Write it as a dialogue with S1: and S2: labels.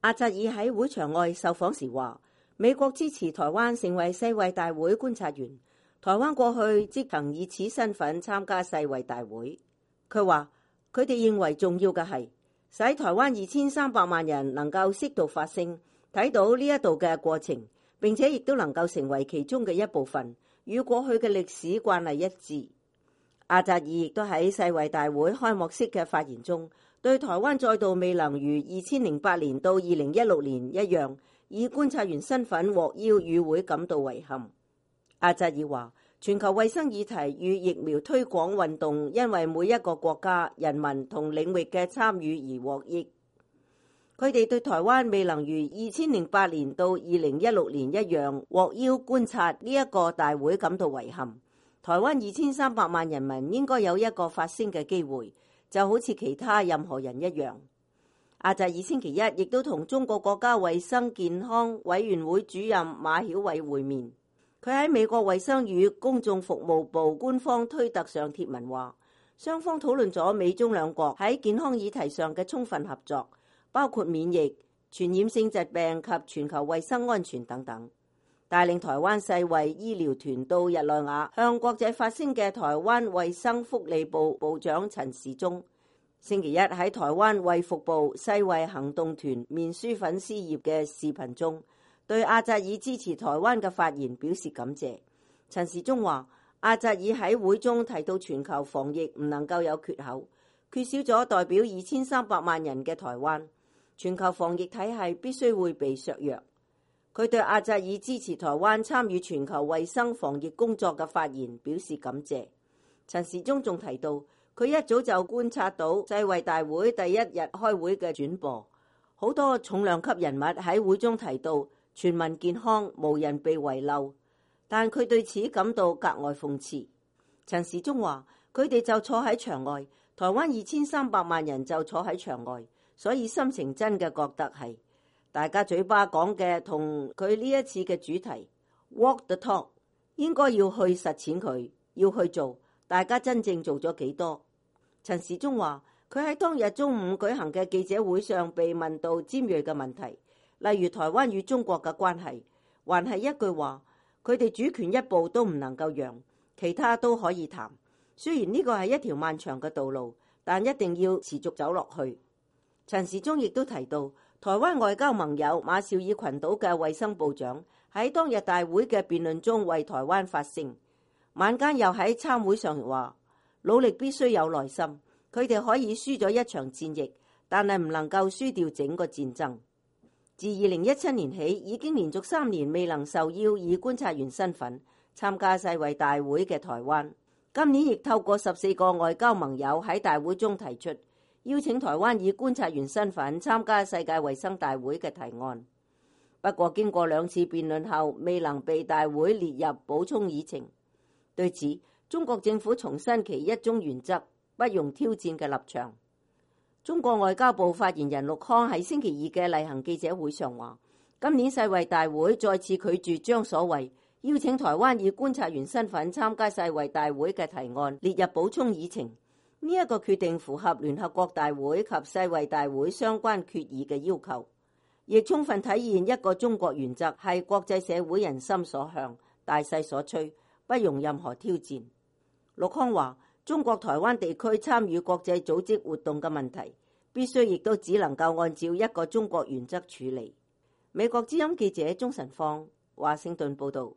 S1: 阿扎爾喺會場外受訪時話，美國支持台灣成為世衛大會觀察員，台灣過去即曾以此身份參加世衛大會。佢話佢哋認為重要嘅係使台灣2300萬人能夠適度發聲，睇到呢一度嘅過程，並且亦都能夠成為其中嘅一部分，與過去嘅歷史慣例一致。阿扎爾亦都喺世衛大會開幕式嘅發言中，對台灣再度未能如2008年到2016年一樣以觀察員身份獲邀與會感到遺憾。阿扎爾話，全球衛生議題與疫苗推廣運動因為每一個國家、人民同領域嘅參與而獲益。佢哋對台灣未能如2008年到2016年一樣獲邀觀察呢一個大會感到遺憾。台灣2300萬人民應該有一個發聲嘅機會，就好似其他任何人一樣。阿扎爾星期一亦都同中國國家衛生健康委員會主任馬曉偉會面。佢喺美國衛生與公眾服務部官方推特上貼文話，雙方討論咗美中兩國喺健康議題上嘅充分合作，包括免疫、傳染性疾病及全球衛生安全等等。帶領台灣世衛醫療團到日內瓦向國際發聲嘅台灣衛生福利部部長陳時中，星期一喺台灣衛福部世衛行動團面書粉絲頁嘅視頻中，對阿扎爾支持台灣嘅發言表示感謝。陳時中話，阿扎爾喺會中提到全球防疫唔能夠有缺口，缺少咗代表2300萬人嘅台灣，全球防疫體系必須會被削弱。佢對阿扎爾支持台灣參與全球衛生防疫工作嘅發言表示感謝。陳時中仲提到，佢一早就觀察到世衛大會第一日開會嘅轉播，好多重量級人物喺會中提到全民健康，無人被遺漏，但佢對此感到格外諷刺。陳時中話，佢哋就坐喺場外，台灣2300萬人就坐喺場外，所以心情真嘅覺得係大家嘴巴講嘅同佢呢一次嘅主題 walk the talk， 應該要去實踐佢，要去做，大家真正做咗幾多？陳時中話，佢喺當日中午舉行嘅記者會上被問到尖銳嘅問題，例如台灣與中國嘅關係，還係一句話，佢哋主權一步都唔能夠讓，其他都可以談。雖然呢個係一條漫長嘅道路，但一定要持續走落去。陳時中亦都提到，台灣外交盟友馬紹爾群島嘅衛生部長喺當日大會嘅辯論中為台灣發聲，晚間又喺參會上話，努力必須有耐心，佢哋可以輸咗一場戰役，但係唔能夠輸掉整個戰爭。自2017年起，已經連續3年未能受邀以觀察員身份參加世衛大會嘅台灣，今年亦透過14個外交盟友喺大會中提出邀請台灣以觀察員身份參加世界衛生大會嘅提案。不過經過2次辯論後，未能被大會列入補充議程。對此，中國政府重申其一中原則、不容挑戰嘅立場。中國外交部發言人陸康喺星期二嘅例行記者會上話，今年世衛大會再次拒絕將所謂邀請台灣以觀察員身份參加世衛大會嘅提案列入補充議程。呢一個決定符合聯合國大會及世衛大會相關決議嘅要求，亦充分體現一個中國原則係國際社會人心所向、大勢所趨，不容任何挑戰。陸康話，中國台灣地區參與國際組織活動嘅問題，必須亦都只能夠按照一個中國原則處理。美國之音記者鍾晨芳華盛頓報道。